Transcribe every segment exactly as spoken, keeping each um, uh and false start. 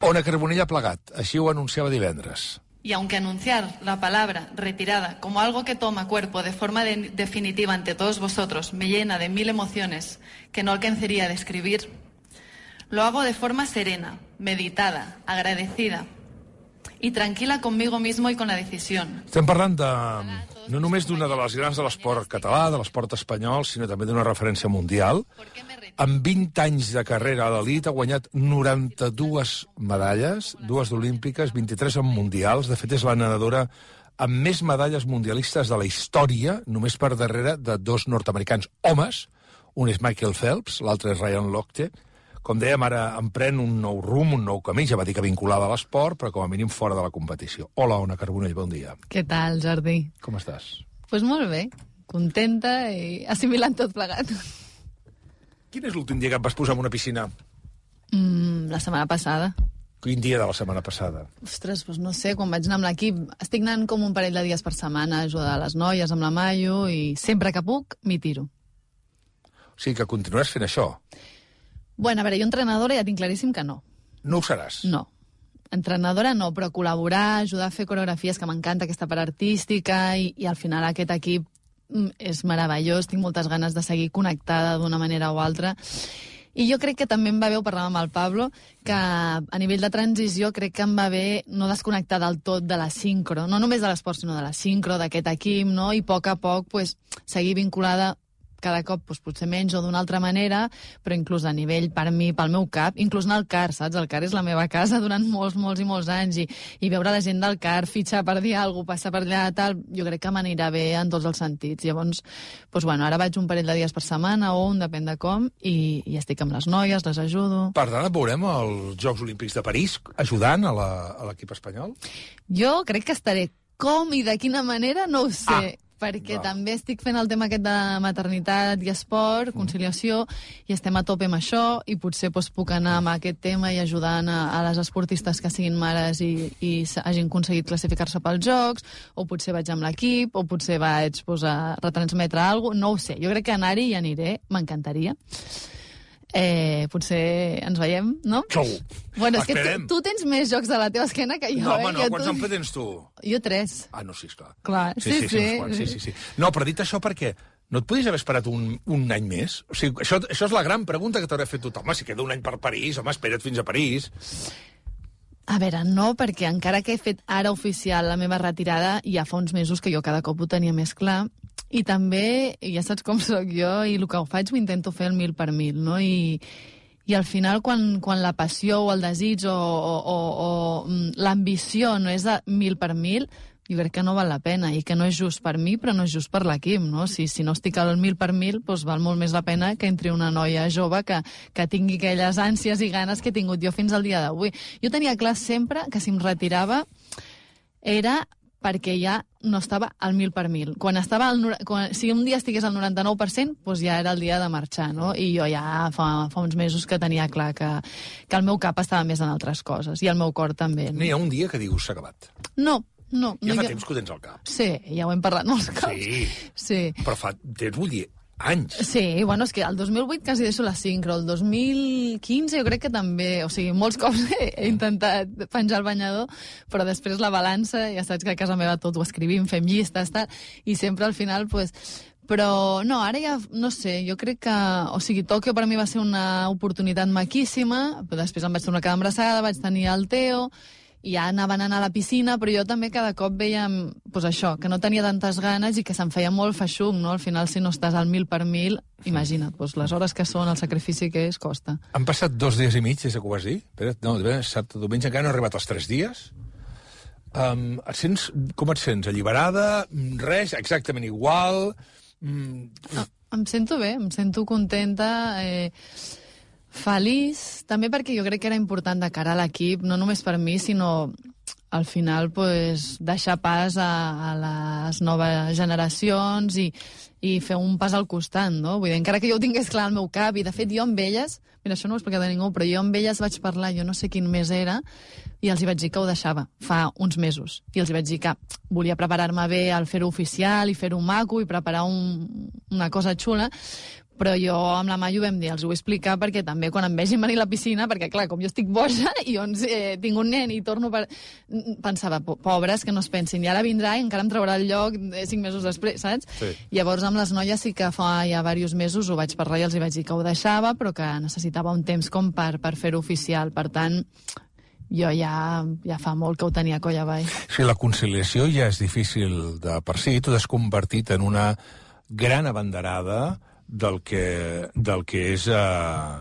Ona Carbonell ha plegat, així ho anunciava divendres. Y aunque anunciar la palabra retirada como algo que toma cuerpo de forma de- definitiva ante todos vosotros me llena de mil emociones que no alcanzaría a describir, lo hago de forma serena, meditada, agradecida y tranquila conmigo mismo y con la decisión. Estem parlant de, no només d'una de les grans de l'esport català, de l'esport espanyol, sinó també d'una referència mundial. Amb vint anys de carrera a l'elit ha guanyat noranta-dues medalles, dues olímpiques, vint-i-tres en mundials. De fet, és la nedadora amb més medalles mundialistes de la història, només per darrere de dos nord-americans homes. Un és Michael Phelps, l'altre és Ryan Lochte. Com dèiem, ara emprèn un nou rumb, un nou camí, ja va dir que vinculada a l'esport, però com a mínim fora de la competició. Hola, Ona Carbonell, bon dia. Què tal, Jordi? Com estàs? Doncs pues molt bé, contenta i assimilant tot plegat. Quin és l'últim dia que et vas posar en una piscina? Mm, la setmana passada. Quin dia de la setmana passada? Ostres, doncs no sé, quan vaig anar amb l'equip, estic anant com un parell de dies per setmana a ajudar les noies amb la Maio i sempre que puc m'hi tiro. O sigui que continuaràs fent això? Bueno, a veure, jo entrenadora ja tinc claríssim que no. No ho seràs? No. Entrenadora no, però col·laborar, ajudar a fer coreografies, que m'encanta aquesta part artística, i, i al final aquest equip mm, és meravellós, tinc moltes ganes de seguir connectada d'una manera o altra. I jo crec que també em va bé, ho parlàvem amb el Pablo, que a nivell de transició crec que em va bé no desconnectar del tot de la sincro, no només de l'esport, sinó de la sincro, d'aquest equip, no? I a poc a poc pues, seguir vinculada cada cop doncs, potser menys o d'una altra manera, però inclús a nivell, per mi, pel meu cap, inclús anar al C A R, saps? El C A R és la meva casa durant molts, molts i molts anys, i, i veure la gent del C A R, fitxar per dir alguna cosa, passar per allà, tal, jo crec que m'anirà bé en tots els sentits. Llavors, doncs, bueno, ara vaig un parell de dies per setmana, o un, depèn de com, i, i estic amb les noies, les ajudo. Per tant, et veurem als Jocs Olímpics de París ajudant a l'equip espanyol? Jo crec que estaré com i de quina manera, no ho sé. Ah. Perquè Val. també estic fent el tema aquest de maternitat i esport, conciliació, i estem a tope amb això, i potser doncs, puc anar amb aquest tema i ajudant a, a les esportistes que siguin mares i, i hagin aconseguit classificar-se pels Jocs, o potser vaig amb l'equip, o potser vaig doncs, a retransmetre alguna cosa, no ho sé. Jo crec que anar-hi i aniré, m'encantaria. Eh, potser ens veiem, no? Segur. Bueno, és que Esperem. tu, tu tens més jocs de la teva esquena que jo, No, home, eh? no, Jo quants tu- en fe tens tu? Jo tres. Ah, no, sí, esclar. Clar, sí, sí. uns quants, sí, sí, sí. No, però dit això, perquè no et podies haver esperat un, un any més? O sigui, això, això és la gran pregunta que t'haurà fet tothom. Home, si queda un any per París, home, espera't fins a París. A veure, no, perquè encara que he fet ara oficial la meva retirada, ja fa uns mesos que jo cada cop ho tenia més clar, i també, ja saps com sóc jo, i el que ho faig ho intento fer el mil per mil, no? I, i al final, quan, quan la passió o el desig o, o, o, o l'ambició no és de mil per mil, jo crec que no val la pena, i que no és just per mi, però no és just per l'equip, no? Si, si no estic al mil per mil, doncs val molt més la pena que entri una noia jove que, que tingui aquelles ànsies i ganes que he tingut jo fins al dia d'avui. Jo tenia clar sempre que si em retirava era perquè ja no estava al mil per mil. Quan estava al, quan, si un dia estigués al noranta-nou per cent, doncs ja era el dia de marxar, no? I jo ja fa, fa uns mesos que tenia clar que, que el meu cap estava més en altres coses, i el meu cor també. No N'hi ha un dia que dius, s'ha acabat. No, no. Ja no fa hi ha... temps que ho tens al cap. Sí, ja ho hem parlat molts cops. Sí. Sí. Però fa temps, vull dir, anys. Sí, bueno, és que el dos mil vuit quasi deixo la sincro, el dos mil quinze jo crec que també, o sigui, molts cops he, he intentat penjar el banyador, però després la balança, ja saps que a casa meva tot ho escrivim, fem llistes, tal, i sempre al final, pues, però no, ara ja, no sé, jo crec que, o sigui, Tòquio per mi va ser una oportunitat maquíssima, però després em vaig tornar a quedar embarassada, vaig tenir el Teo, i ja anaven a anar a la piscina, però jo també cada cop veiem, doncs això, que no tenia tantes ganes i que se'm feia molt feixuc, no? Al final, si no estàs al mil per mil, imagina't, doncs les hores que són, el sacrifici que és, costa. Han passat dos dies i mig des que ho vas dir? Espera't, no, dissabte, diumenge, encara no ha arribat als tres dies. Um, et sents, com et sents? Alliberada? Res? Exactament igual? Mm. No, em sento bé, em sento contenta, eh, feliç, també perquè jo crec que era important de cara a l'equip, no només per mi, sinó al final pues, deixar pas a, a les noves generacions i, i fer un pas al costat, no? Vull dir, encara que jo ho tingués clar al meu cap, i de fet jo amb elles, mira, això no ho he explicat a ningú, però jo amb elles vaig parlar, jo no sé quin mes era, i els hi vaig dir que ho deixava fa uns mesos. I els hi vaig dir que volia preparar-me bé al fer-ho oficial i fer-ho maco i preparar un, una cosa xula, Però jo amb la Maio vam dir, els ho vull explicar perquè també quan em vegin venir a la piscina, perquè clar, com jo estic boja i doncs eh, tinc un nen i torno per... Pensava, pobres, que no es pensin, i ara vindrà i encara em traurà el lloc eh, cinc mesos després, saps? Sí. Llavors amb les noies sí que fa ja diversos mesos ho vaig parlar i els hi vaig dir que ho deixava, però que necessitava un temps com per, per fer-ho oficial. Per tant, jo ja, ja fa molt que ho tenia coll avall. Sí, la conciliació ja és difícil de per si, tu t'has convertit en una gran abanderada del que, del que és eh,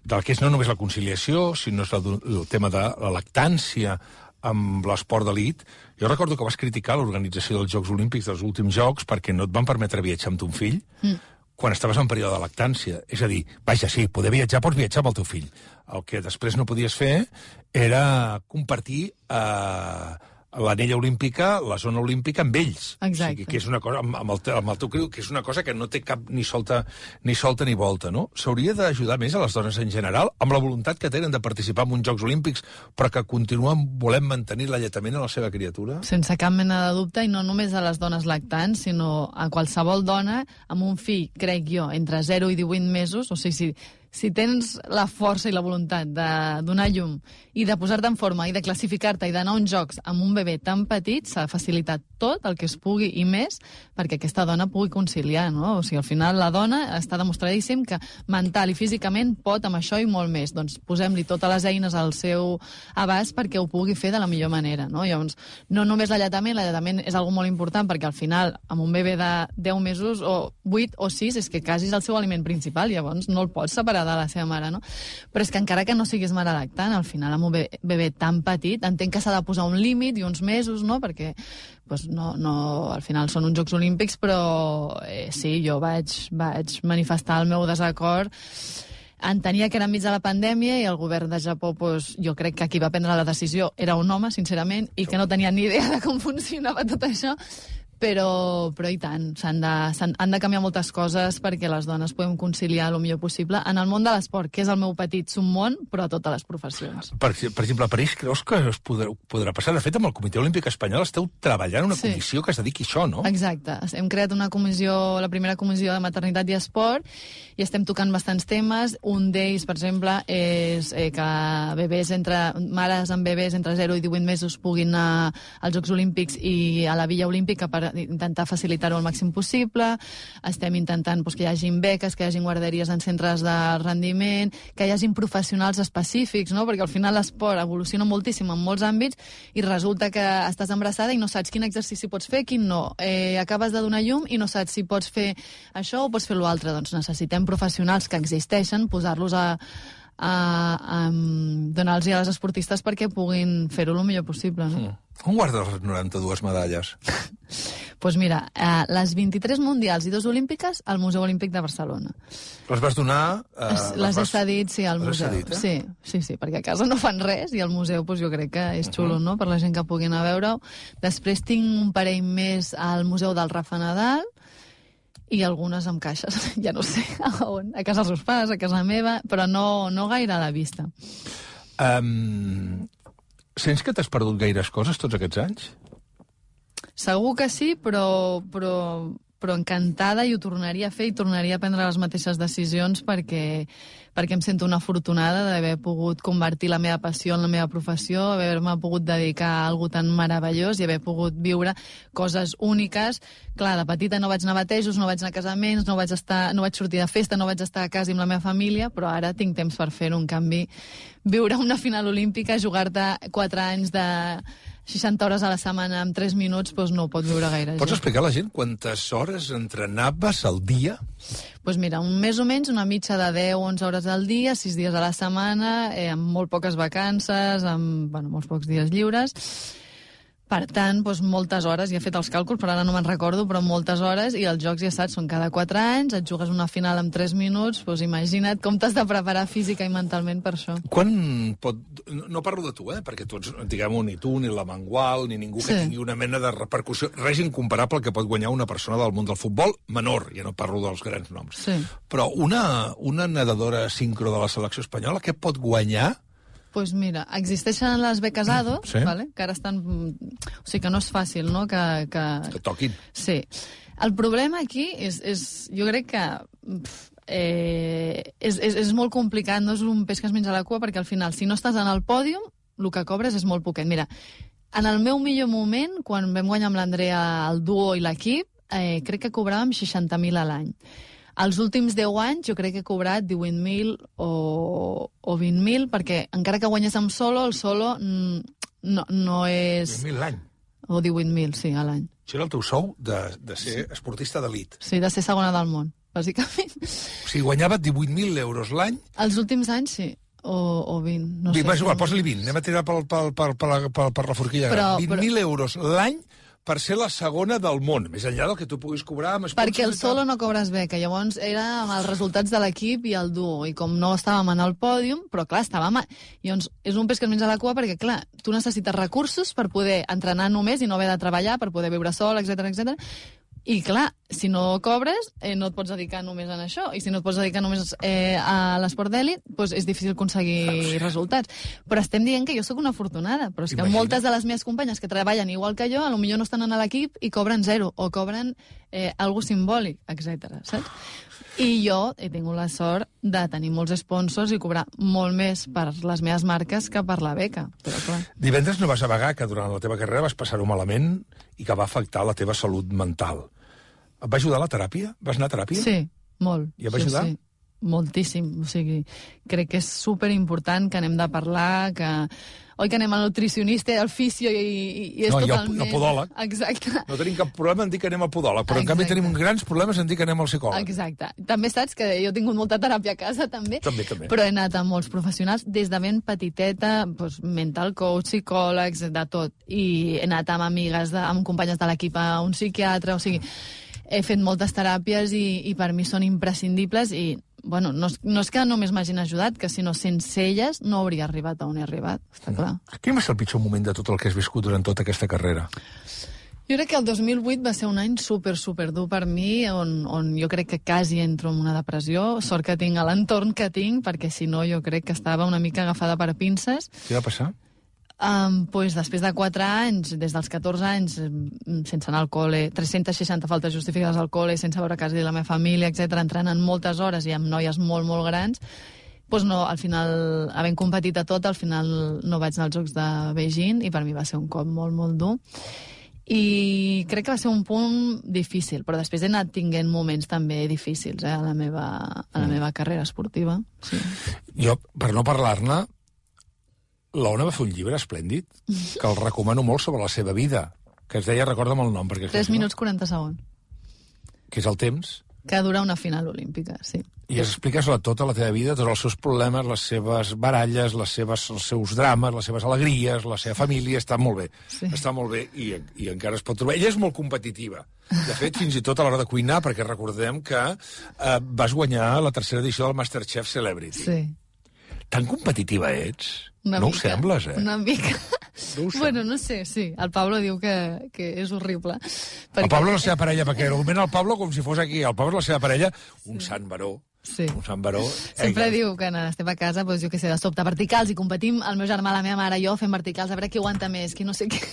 del que és no només la conciliació, sinó el, el tema de la lactància amb l'esport d'elit. Jo recordo que vas criticar l'organització dels Jocs Olímpics dels últims Jocs perquè no et van permetre viatjar amb ton fill mm. quan estaves en període de lactància. És a dir, vaja, sí, poder viatjar, pots viatjar amb el teu fill. El que després no podies fer era compartir eh, l'anella olímpica, la zona olímpica, amb ells. Exacte. O sigui, que és una cosa, amb, amb, el, amb el teu criu, que és una cosa que no té cap ni solta ni, solta, ni volta, no? S'hauria d'ajudar més a les dones en general, amb la voluntat que tenen de participar en uns Jocs Olímpics, però que continuen volent mantenir l'alletament a la seva criatura? Sense cap mena de dubte, i no només a les dones lactants, sinó a qualsevol dona amb un fill, crec jo, entre zero i divuit mesos, o sigui, si... Si tens la força i la voluntat de donar llum i de posar-te en forma i de classificar-te i d'anar a uns jocs amb un bebè tan petit, s'ha facilitat tot el que es pugui i més perquè aquesta dona pugui conciliar, no? O sigui, al final la dona està demostradíssim que mental i físicament pot amb això i molt més. Doncs posem-li totes les eines al seu abast perquè ho pugui fer de la millor manera, no? Llavors, no només l'alletament, l'alletament és algo molt important perquè al final, amb un bebè de deu mesos o vuit o sis, és que quasi és el seu aliment principal, llavors no el pots separar de la seva mare, no? Però és que encara que no siguis mare lactant, al final amb un bebè, bebè tan petit, entenc que s'ha de posar un límit i uns mesos, no? Perquè pues, no, no, al final són uns Jocs Olímpics, però eh, sí, jo vaig, vaig manifestar el meu desacord. Entenia que era enmig de la pandèmia i el govern de Japó, pues, jo crec que qui va prendre la decisió era un home, sincerament, i que no tenia ni idea de com funcionava tot això. Però, però i tant, s'han de, s'han, han de canviar moltes coses perquè les dones podem conciliar el millor possible en el món de l'esport, que és el meu petit submón, però a totes les professions. Per, per exemple, a París creus que es podrà, podrà passar? De fet, amb el Comitè Olímpic Espanyol esteu treballant una sí. comissió que es dediqui a això, no? Exacte. Hem creat una comissió, la primera comissió de maternitat i esport, i estem tocant bastants temes. Un d'ells, per exemple, és eh, que bebès entre, mares amb bebès entre zero i divuit mesos puguin anar als Jocs Olímpics i a la Villa Olímpica per intentar facilitar-ho al màxim possible. Estem intentant pues, que hi hagin beques, que hi hagin guarderies en centres de rendiment, que hi hagin professionals específics, no? Perquè al final l'esport evoluciona moltíssim en molts àmbits i resulta que estàs embarassada i no saps quin exercici pots fer, quin no. Eh, acabes de donar llum i no saps si pots fer això o pots fer l'altre. Doncs necessitem professionals que existeixen, posar-los a a, a donar-los a les esportistes perquè puguin fer-ho el millor possible, no? Mm. On guardes les noranta-dues medalles? Doncs pues mira, eh, les vint-i-tres mundials i dos olímpiques al Museu Olímpic de Barcelona. Les vas donar... Eh, les les he cedit, sí, al museu. Cedit, eh? Sí, sí, sí, perquè a casa no fan res i al museu pues, jo crec que és xulo, uh -huh. no?, per la gent que pugui anar a veure-ho. Després tinc un parell més al Museu del Rafa Nadal, i algunes amb caixes, ja no sé a on, a casa dels seus pares, a casa meva, però no, no gaire a la vista. Um, sents que t'has perdut gaires coses tots aquests anys? Segur que sí, però, però, però encantada i ho tornaria a fer i tornaria a prendre les mateixes decisions perquè, perquè em sento una afortunada d'haver pogut convertir la meva passió en la meva professió, haver-me pogut dedicar a alguna tan meravellós i haver pogut viure coses úniques. Clar, de petita no vaig anar a batejos, no vaig anar a casaments, no vaig, estar, no vaig sortir de festa, no vaig estar a casa amb la meva família, però ara tinc temps per fer-ho. En canvi, viure una final olímpica, jugar-te quatre anys de seixanta hores a la setmana en tres minuts, doncs no ho pot viure gaire. Pots explicar a la gent quantes hores entrenaves al dia? Doncs mira, un, més o menys una mitja de deu a onze hores al dia, sis dies a la setmana, eh, amb molt poques vacances, amb bueno, molts pocs dies lliures. Per tant, doncs, moltes hores, ja he fet els càlculs, però ara no me'n recordo, però moltes hores, i els jocs, ja saps, són cada quatre anys, et jugues una final en tres minuts, doncs imagina't com t'has de preparar física i mentalment per això. Quan pot... No parlo de tu, eh? Perquè tu ets, diguem-ho, ni tu, ni la Mangual, ni ningú que sí. tingui una mena de repercussió, res incomparable al que pot guanyar una persona del món del futbol menor, ja no parlo dels grans noms. Sí. Però una, una nedadora sincro de la selecció espanyola, què pot guanyar? Doncs pues mira, existeixen les beques A D O, sí. vale? Que ara estan... O sigui que no és fàcil, no?, que... Que, que toquin. Sí. El problema aquí és, és jo crec que pff, eh, és, és, és molt complicat, no és un peix que es menja la cua, perquè al final, si no estàs en el pòdium, el que cobres és molt poquet. Mira, en el meu millor moment, quan vam guanyar amb l'Andrea el duo i l'equip, eh, crec que cobràvem seixanta mil a l'any. Els últims deu anys jo crec que he cobrat divuit mil o, o vint mil, perquè encara que guanyés amb solo, el solo no, no és... divuit mil l'any. O divuit mil, sí, a l'any. Això era el teu sou de, de ser sí. esportista d'elit. Sí, de ser segona del món, bàsicament. O sigui, guanyava divuit mil euros l'any. Els últims anys, sí. O, o vint, no sé. Va, igual, posa-li vint. Anem a tirar per, per, per, per, per, per la forquilla. vint mil euros l'any per ser la segona del món, més enllà del que tu puguis cobrar amb sponsors. Perquè el solo no cobres beca, llavors era amb els resultats de l'equip i el duo, i com no estàvem en el pòdium, però clar, estàvem... A... Llavors, és un peix que es menja la cua perquè, clar, tu necessites recursos per poder entrenar només i no haver de treballar, per poder viure sol, etcètera, etcètera. I, clar, si no cobres, eh, no et pots dedicar només a això. I si no et pots dedicar només eh, a l'esport d'èlit, doncs és difícil aconseguir sí. resultats. Però estem dient que jo sóc una afortunada. Però és que Imagina. moltes de les meves companyes que treballen igual que jo, potser no estan en l'equip i cobren zero, o cobren eh, algo simbòlic, etcètera. Saps? I jo he tingut la sort de tenir molts sponsors i cobrar molt més per les meves marques que per la beca. Però, clar. Divendres no vas avagar que durant la teva carrera vas passar-ho malament i que va afectar la teva salut mental. Et va ajudar la teràpia? Vas anar a teràpia? Sí, molt. I et va sí, ajudar? Sí, moltíssim. O sigui, crec que és superimportant que anem de parlar, que... Oi que anem al nutricionista, al fisio i, i és no, totalment... No, i al podòleg. Exacte. No tenim cap problema en dir que anem al podòleg, però Exacte. en canvi tenim grans problemes en dir que anem al psicòleg. Exacte. També saps que jo he tingut molta teràpia a casa, també. També, també. Però he anat a molts professionals, des de ben petiteta, doncs, mental coach, psicòlegs, de tot. I he anat amb amigues, de, amb companyes de l'equip a un psiquiatre, o sigui... He fet moltes teràpies i, i per mi són imprescindibles i, bueno, no, no és que només m'hagin ajudat, que sinó sense elles no hauria arribat on he arribat, està clar. Quin va ser el pitjor moment de tot el que has viscut durant tota aquesta carrera? Jo crec que el dos mil vuit va ser un any super, super dur per mi, on, on jo crec que quasi entro en una depressió. Sort que tinc a l'entorn que tinc, perquè si no jo crec que estava una mica agafada per pinces. Què va passar? Um, pues, després de quatre anys, des dels catorze anys, sense anar al col·le, tres-centes seixanta faltes justificades al col·le, sense veure quasi la meva família, etcètera, entrenant moltes hores i amb noies molt, molt grans, pues no, al final, havent competit a tot, al final no vaig anar als Jocs de Beijing i per mi va ser un cop molt, molt dur. I crec que va ser un punt difícil, però després he anat tinguent moments també difícils eh, a, la meva, a la meva carrera esportiva. Sí. Jo, per no parlar-ne, l'Ona va fer un llibre esplèndid, que el recomano molt, sobre la seva vida, que es deia, recorda'm el nom, perquè... tres minuts quaranta segons. Que és el temps. Que dura una final olímpica, sí. I es explica sobre tota la teva vida, tots els seus problemes, les seves baralles, les seves, els seus drames, les seves alegries, la seva família, està molt bé. Sí. Està molt bé i, i encara es pot trobar. Ella és molt competitiva. De fet, fins i tot a l'hora de cuinar, perquè recordem que eh, vas guanyar la tercera edició del MasterChef Celebrity. Sí. Tan competitiva ets? Una no mica, ho sembles, eh? Una mica. No bueno, no sé, sí. El Pablo diu que, que és horrible. Perquè... El Pablo és la seva parella, perquè argumenta el Pablo com si fos aquí. El Pablo és la seva parella, un sí. sant baró. Sí. Un sant baró. Sempre Ei, diu que quan estem a casa, doncs, jo què sé, de sobte verticals, i competim el meu germà, la meva mare i jo fem verticals, a veure qui aguanta més, qui no sé què.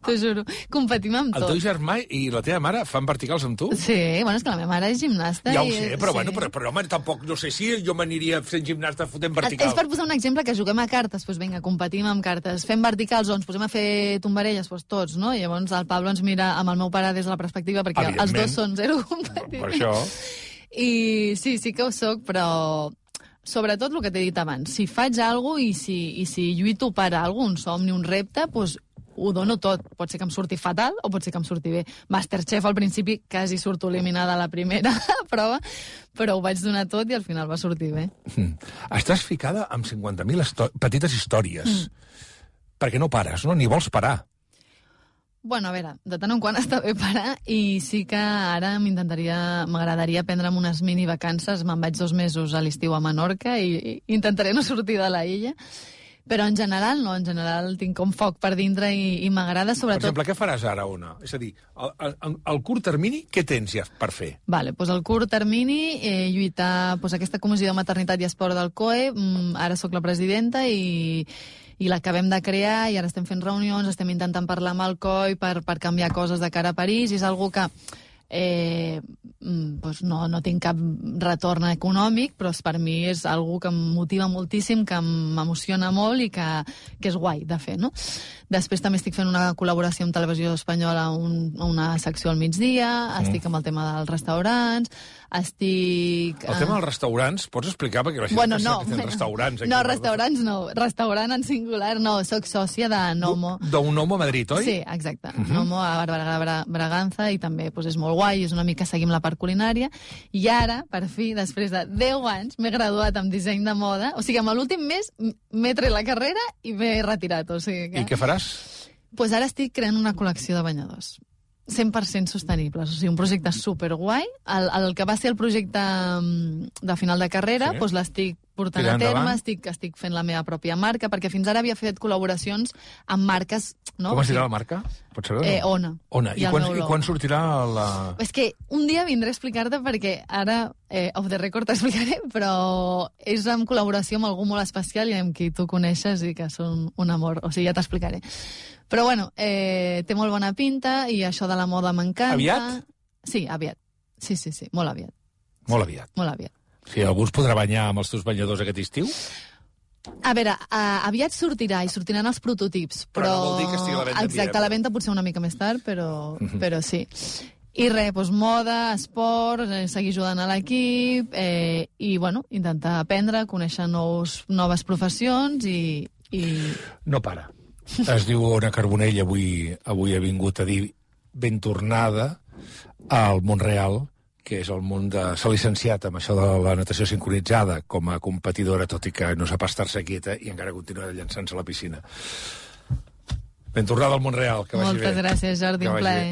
T'ho juro. Competim amb tot. El teu germà i la teva mare fan verticals amb tu? Sí, bueno, és que la meva mare és gimnasta. Ja ho i... sé, però, sí. bueno, però, però home, tampoc, no sé si jo m'aniria fent gimnasta fotent verticals. És per posar un exemple que juguem a cartes, doncs vinga, competim amb cartes, fem verticals o ens posem a fer tombarelles, doncs tots, no? I llavors el Pablo ens mira amb el meu pare des de la perspectiva, perquè els dos són zero competitius. Per això... I sí, sí que ho soc, però sobretot el que t'he dit abans, si faig alguna cosa i si, i si lluito per alguna un somni, un repte, doncs ho dono tot. Pot ser que em surti fatal o pot ser que em surti bé. Masterchef al principi quasi surto eliminada a la primera prova, però ho vaig donar tot i al final va sortir bé. Mm. Estàs ficada amb cinquanta mil petites històries, mm. perquè no pares, no? Ni vols parar. Bueno, a veure, de tant en quant està bé parar i sí que ara m'intentaria, m'agradaria prendre'm unes mini vacances. Me'n vaig dos mesos a l'estiu a Menorca i, i intentaré no sortir de la illa. Però en general no, en general tinc com foc per dintre i, i m'agrada sobretot... Per exemple, què faràs ara, Ona? És a dir, al curt termini, què tens ja per fer? Vale, doncs al curt termini, eh, lluitar doncs, aquesta comissió de maternitat i esport del C O E, mm, ara sóc la presidenta i... i l'acabem de crear i ara estem fent reunions, estem intentant parlar amb el C O I per, per canviar coses de cara a París, i és algo que eh, doncs no, no tinc cap retorn econòmic, però per mi és algo que em motiva moltíssim, que m'emociona molt i que, que és guai de fer, no? Després també estic fent una col·laboració amb Televisió Espanyola, un, una secció al migdia, mm. estic amb el tema dels restaurants, estic... El tema dels restaurants, pots explicar? Perquè la gent bueno, no, no, que restaurants... Aquí no, restaurants no. Restaurant en singular, no. Soc sòcia de Nomo. D'un Nomo a Madrid, oi? Sí, exacte. Uh -huh. Nomo a Bra Braganza, i també pues, és molt guai, és una mica seguim la part culinària. I ara, per fi, després de deu anys, m'he graduat en disseny de moda. O sigui, amb l'últim mes m'he tret la carrera i m'he retirat. O sigui que... I què faràs? Pues ara estic creant una col·lecció de banyadors. cent per cent sostenibles, o sigui, un projecte superguai. El, el que va ser el projecte de final de carrera, sí. doncs l'estic portant Tirant a terme, endavant. estic, estic fent la meva pròpia marca, perquè fins ara havia fet col·laboracions amb marques... No? Com es dirà la marca? Pots saber? Eh, Ona. Ona. I, I, quan, I quan sortirà la... És que un dia vindré a explicar-te, perquè ara, eh, off the record t'explicaré, però és en col·laboració amb algú molt especial i amb qui tu coneixes i que són un amor. O sigui, ja t'explicaré. Però bueno, eh, té molt bona pinta i això de la moda m'encanta. Aviat? Sí, aviat. Sí, sí, sí, molt aviat. Molt aviat. Molt aviat. Sí, algú es podrà banyar amb els teus banyadors aquest estiu? A veure, uh, aviat sortirà i sortiran els prototips, però... Però no vol dir que estigui a la venda. Exacte, a la venda potser una mica més tard, però, uh-huh. però sí. I res, doncs moda, esport, eh, seguir ajudant a l'equip eh, i, bueno, intentar aprendre, conèixer nous, noves professions i, i... No para. Es diu Ona Carbonell, avui, avui ha vingut a dir ben tornada al món real, que és el món de... S'ha licenciat amb això de la natació sincronitzada com a competidora, tot i que no sap estar-se quieta i encara continua llançant-se a la piscina. Ben tornada al món real, que vagi Moltes bé. gràcies, Jordi, un plaer.